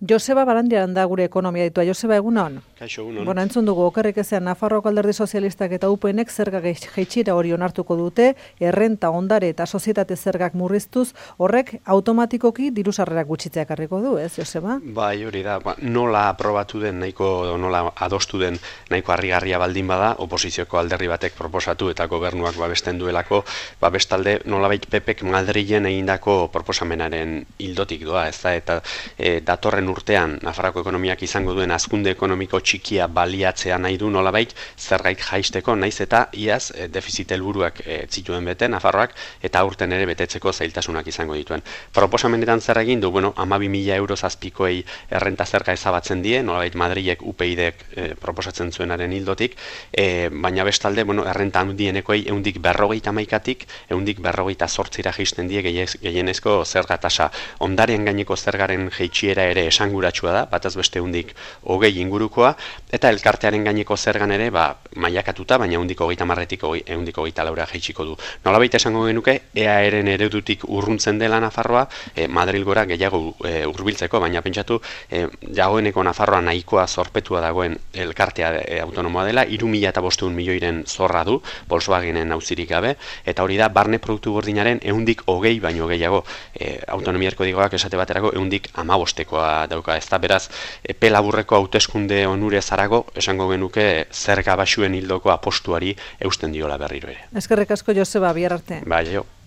Joseba Barandiaran da gure ekonomia ditua. Joseba, egunon? Kaixo, egunon. Bueno, entzun dugu, okerrik ezean, Nafarroako Alderdi Sozialistak eta UPNek zerga jaitsira hori onartuko dute, errenta, ondare eta sozietate zergak murriztuz, horrek automatikoki diru sarrerak gutxitzea ekarriko du, ez, Joseba? Bai, hori da, nola aprobatu den, nola adostu den nahiko harrigarria baldin bada, oposizioko alderdi batek proposatu eta gobernuak babesten duelako, bestalde nolabait PPek Madrilen egindako proposamenaren ildotik doa, ez da, eta datorren urtean Nafarroako ekonomiak izango duen hazkunde ekonomiko txikia baliatzea nahi du nolabait zergait jaisteko, naiz eta iaz defizit helburuak zituen bete Nafarroak eta aurten ere betetzeko zailtasunak izango dituen. Proposamenetan zer egin du, 12.000 euro zazpikoei errenta zerga ezabatzen die, nolabait Madrilek UPyDek proposatzen zuenaren hildotik, baina bestalde, errenta handienekoei 151tik 158ra jaisten die gehienezko zerga tasa. Ondaren gaineko zergaren jaitsiera ere esanguratsua da, bataz beste 120 ingurukoa, eta elkartearen gaineko zergan ere mailakatuta, baina 130tik 124ra jaitsiko du. Nolabait esango genuke, EAEren eredutik urruntzen dela Nafarroa, Madrilgora gehiago hurbiltzeko, baina pentsatu, dagoeneko Nafarroa nahikoa zorpetua dagoen elkartea autonomoa dela, 3.500 milioiren zorra du, Volkswagenen auzirik gabe, eta hori da, barne produktu gordinaren 120 baino gehiago, autonomia erkodigoak esate baterako 115koa dauka, ez da, beraz, epe laburreko hauteskunde onure zarago, esango genuke zerga baxuen hildoko apostuari eusten diola berriro ere. Eskerrik asko, Joseba, bihar arte. Bai, jo.